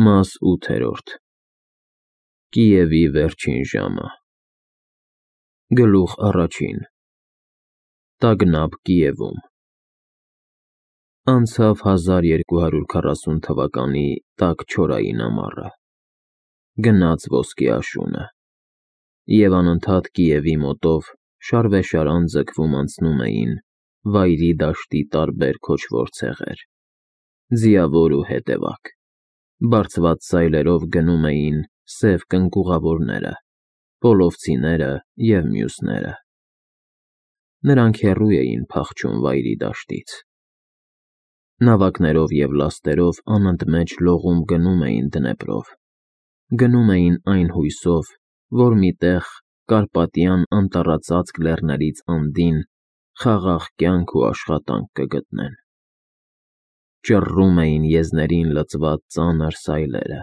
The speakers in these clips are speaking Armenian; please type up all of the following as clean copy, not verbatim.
Մաս 8. Կիևի վերջին ժամը։ Գլուխ առաջին։ Տագնապ Կիևում։ Անցավ 1240 թվականի տաք չորային ամառը։ Գնաց ոսկի աշունը։ Եվ անընդհատ Կիևի մոտով շարվեշարան ձգվում անցնում էին վայրի դաշտի տարբեր քոչվոր ցեղեր, ձիավոր ու հետևակ, բարձված սայլերով գնում էին սև կնկուղավորները, պոլովցիները և մյուսները։ Նրանք հեռու էին փախչում վայրի դաշտից։ Նավակներով և լաստերով անընդմեջ լողում գնում էին Դնեպրով, գնում էին այն հույսով, որ մի տեղ Կարպատյան անտառածածկ լեռներից անդին խաղաղ կյանք ու աշխատանք կգտնեն։ Ճռռում էին եզներին լցված ծանր սայլերը,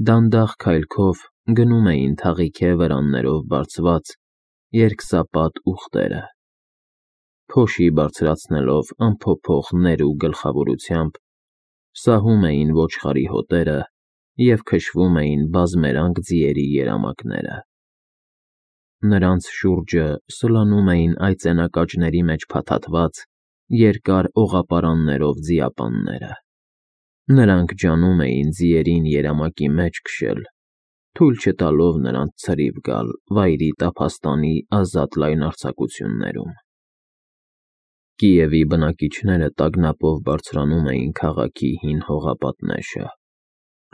դանդաղ քայլքով գնում էին թաղիթե վրաններով բարձված երկսապատ ուղտերը, փոշի բարձրացնելով անփոփոխ ներ ու գլխավորությամբ, սահում էին ոչխարի հոտերը և քշվում էին բազմերանգ ձիերի երամակները։ Նրանց շուրջը սլանում էին այծենակաճների մեջ փաթաթված երկար օղապարաններով ձիապանները։ Նրանք ջանում էին ձիերին երամակի մեջ քշել, թույլ չտալով նրանց ցրիվ գալ վայրի տափաստանի ազատ լայնարձակություններում։ Կիևի բնակիչները տագնապով բարձրանում էին քաղաքի հին հողապատնեշը,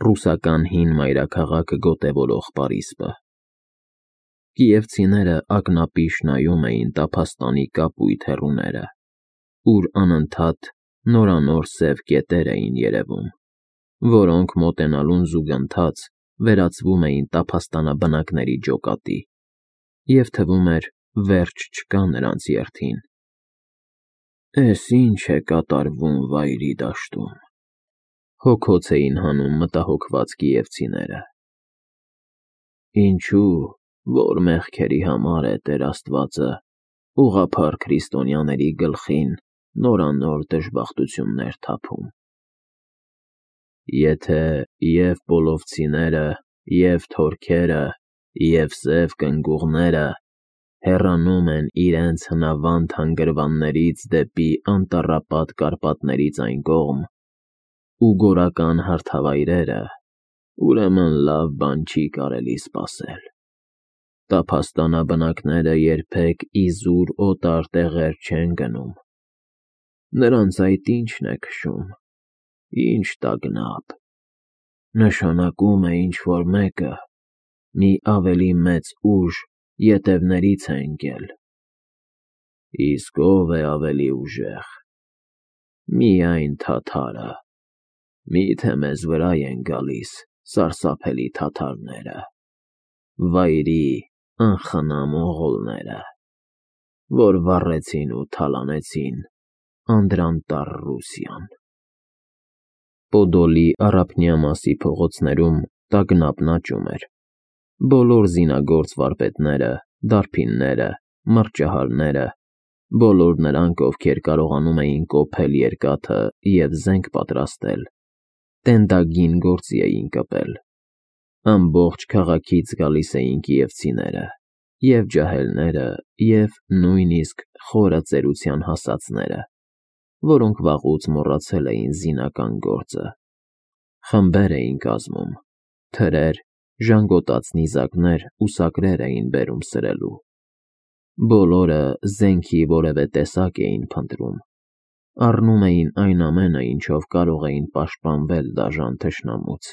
ռուսական հին մայրաքաղաքը գոտևորող պարիսպը։ Կիևցիները ակնապիշ նայում էին տափաստանի կապույտ հեռուները, ուր անընդհատ նորանոր սև կետեր էին երևում, որոնք մոտենալուն զուգընթաց վերածվում էին տափաստանաբնակների ջոկատի, և թվում էր վերջ չկա նրանց երթին։ «Էս ի՞նչ է կատարվում վայրի դաշտում», հոգոց էին հանում մտահոգված կիևցիները։ «Ինչու, որ մեղքերի համար է Տեր Աստվածը ուղղափառ քրիստոնյաների գլխին նորանոր դժբախտություններ թափում։ Եթե և պոլովցիները, և թորքերը, և սև կնգուղները հեռանում են իրենց հնավանդ հանգրվաններից դեպի անտառապատ Կարպատներից այն կողմ, ու գորական հարթավայրերը, ուրեմն լավ բան չի կարելի սպասել։ Տափաստանաբնակները երբեք իզուր օտար տեղեր չեն գնում։ Նրանց այդ ի՞նչն է քշում, ի՞նչ տագնապ։ Նշանակում է ինչ-որ մեկը մի ավելի մեծ ուժ ետևներից է ընկել։ Իսկ ո՞վ է ավելի ուժեղ։ Միայն թաթարը։ Մի՞թե մեզ վրա են գալիս սարսափելի թաթարները, վայրի անխնամ մողոլները, որ վառեցին ու թալանեցին անդրանտառ Ռուսիան»։ Պոդոլի առափնյա մասի փողոցներում տագնապն աճում էր։ Բոլոր զինագործ վարպետները, դարբինները, մռճահարները, բոլոր նրանք, ովքեր կարողանում էին կոփել երկաթը և զենք պատրաստել, տենդագին գործի էին կպել։ Ամբողջ քաղաքից գալիս էին կիևցիները, և ջահելները, և նույնիսկ խորը ծերության հասածները, որոնք վաղուց մոռացել էին զինական գործը։ Խմբեր էին կազմում, թրեր, ժանգոտած նիզակներ ու սակրեր էին բերում սրելու։ Բոլորը զենքի որևէ տեսակ էին փնտրում, առնում էին այն ամենը, ինչով կարող էին պաշտպանվել դաժան թշնամուց։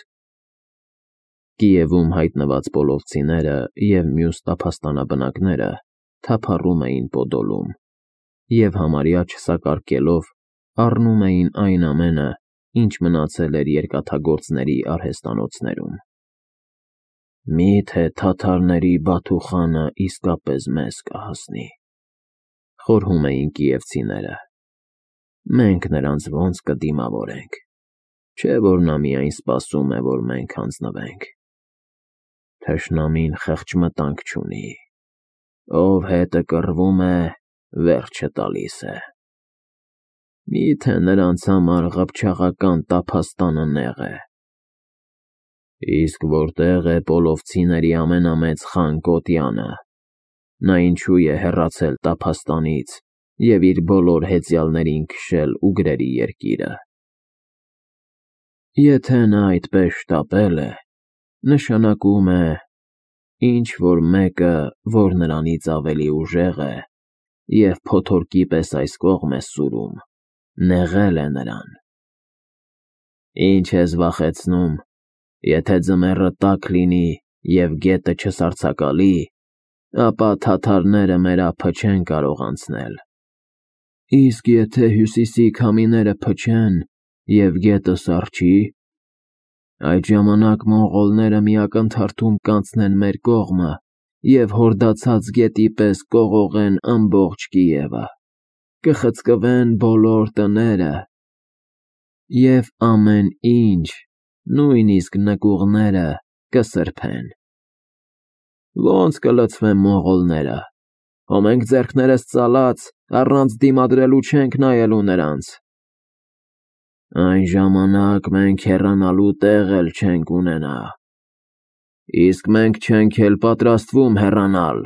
Կիևում հայտնված պոլովցիները և մյուս տափաստանաբնակները թափառում էին Պոդոլում և համարյա չսակարկելով առնում էին այն ամենը, ինչ մնացել էր երկաթագործների արհեստանոցներում։ «Մի՞թե թաթարների բաթուխանը իսկապես մեզ կհասնի», խորհում էին կիևցիները։ «Մենք նրանց ո՞նց կդիմավորենք, չէ՞ որ նա միայն սպասում է, որ մենք հանձնվենք։ Թշնամին խեղճ մտանք չունի, ով հետը կռվում է, վերջը տալիս է։ Մի՞թե նրանց համար ղփչաղական տափաստանը նեղ է։ Իսկ որտեղ է պոլովցիների ամենամեծ խան Կոտյանը, նա ինչու է հեռացել տափաստանից և իր բոլոր հեծյալներին քշել ուգրերի երկիրը։ Եթե նա այդպես շտապել է, նշանակում է, ինչ-որ մեկը, որ նրանից ավելի ուժեղ է և փոթորկի պես այս կողմ է սուրում, նեղել է նրան։ Ինչ ես վախեցնում, եթե ձմեռը տաք լինի և գետը չսառցակալի, ապա թաթարները մեր ափը չեն կարող անցնել։ Իսկ եթե հյուսիսի քամիները փչեն և գետը սառչի, այդ ժամանակ մոնղոլները մի ակնթարթում կանցնեն մեր կողմը և հորդացած գետի պես կողողեն ամբողջ Կիևը, կխցկվեն բոլոր տները և ամեն ինչ, նույնիսկ նկուղները կսրբեն։ Ոնց կլցվեն մոնղոլները, հո մենք ձեռքներս ծալած, առանց դիմադրելու չենք նայելու նրանց։ Այն ժամանակ մենք հեռանալու տեղ էլ չենք ունենա, իսկ մենք չենք էլ պատրաստվում հեռանալ,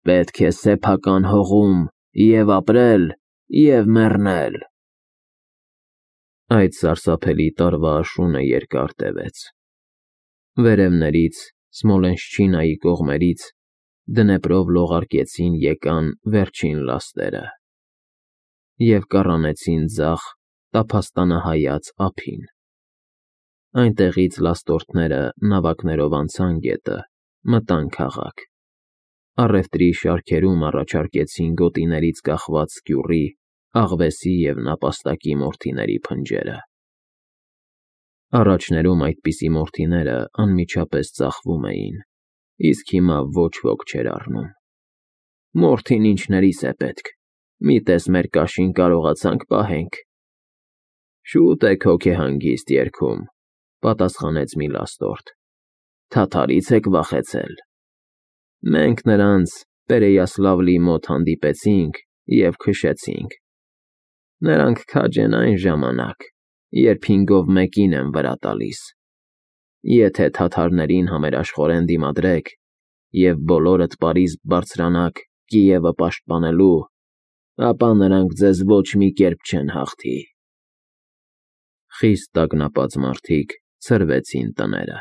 պետք է սեփական հողում և ապրել, և մեռնել։ Այդ սարսափելի տարվա աշունը երկար տևեց։ Վերևներից, Սմոլենշչինայի կողմերից, դնեպրով լողարկեցին եկան վերջին լաստերը և կառանեցին ձախ տափաստանահայաց ափին։ Այնտեղից լաստորդները նավակներով անցան գետը, մտան քաղաք։ Առևտրի շարքերում առաջարկեցին գոտիներից կախված սկյուռի, աղվեսի և նապաստակի մորթիների փնջերը։ Առաջներում այդպիսի մորթիները անմիջապես ծախվում էին, իսկ հիմա ոչ ոք չէր առնում։ Մորթին ինչներիս է պետք, մի տես մեր կաշին կարողացանք պահենք։ Շուտ եք հոգեհանգիստ երգում, պատասխանեց մի լաստորդ, թաթարից եք վախեցել։ Մենք նրանց Պերեյասլավլի մոտ հանդիպեցինք և քշեցինք։ Նրանք քաջ են այն ժամանակ, երբ հինգով մեկին են վրա տալիս։ Եթե թաթարներին համերաշխորեն դիմադրեք և բոլորդ պարիսպ բարձրանաք Կիևը պաշտպանելու, ապա նրանք ձեզ ոչ մի կերպ չեն հաղթի։ Խիստ տագնապած մարդիկ ցրվեցին տները։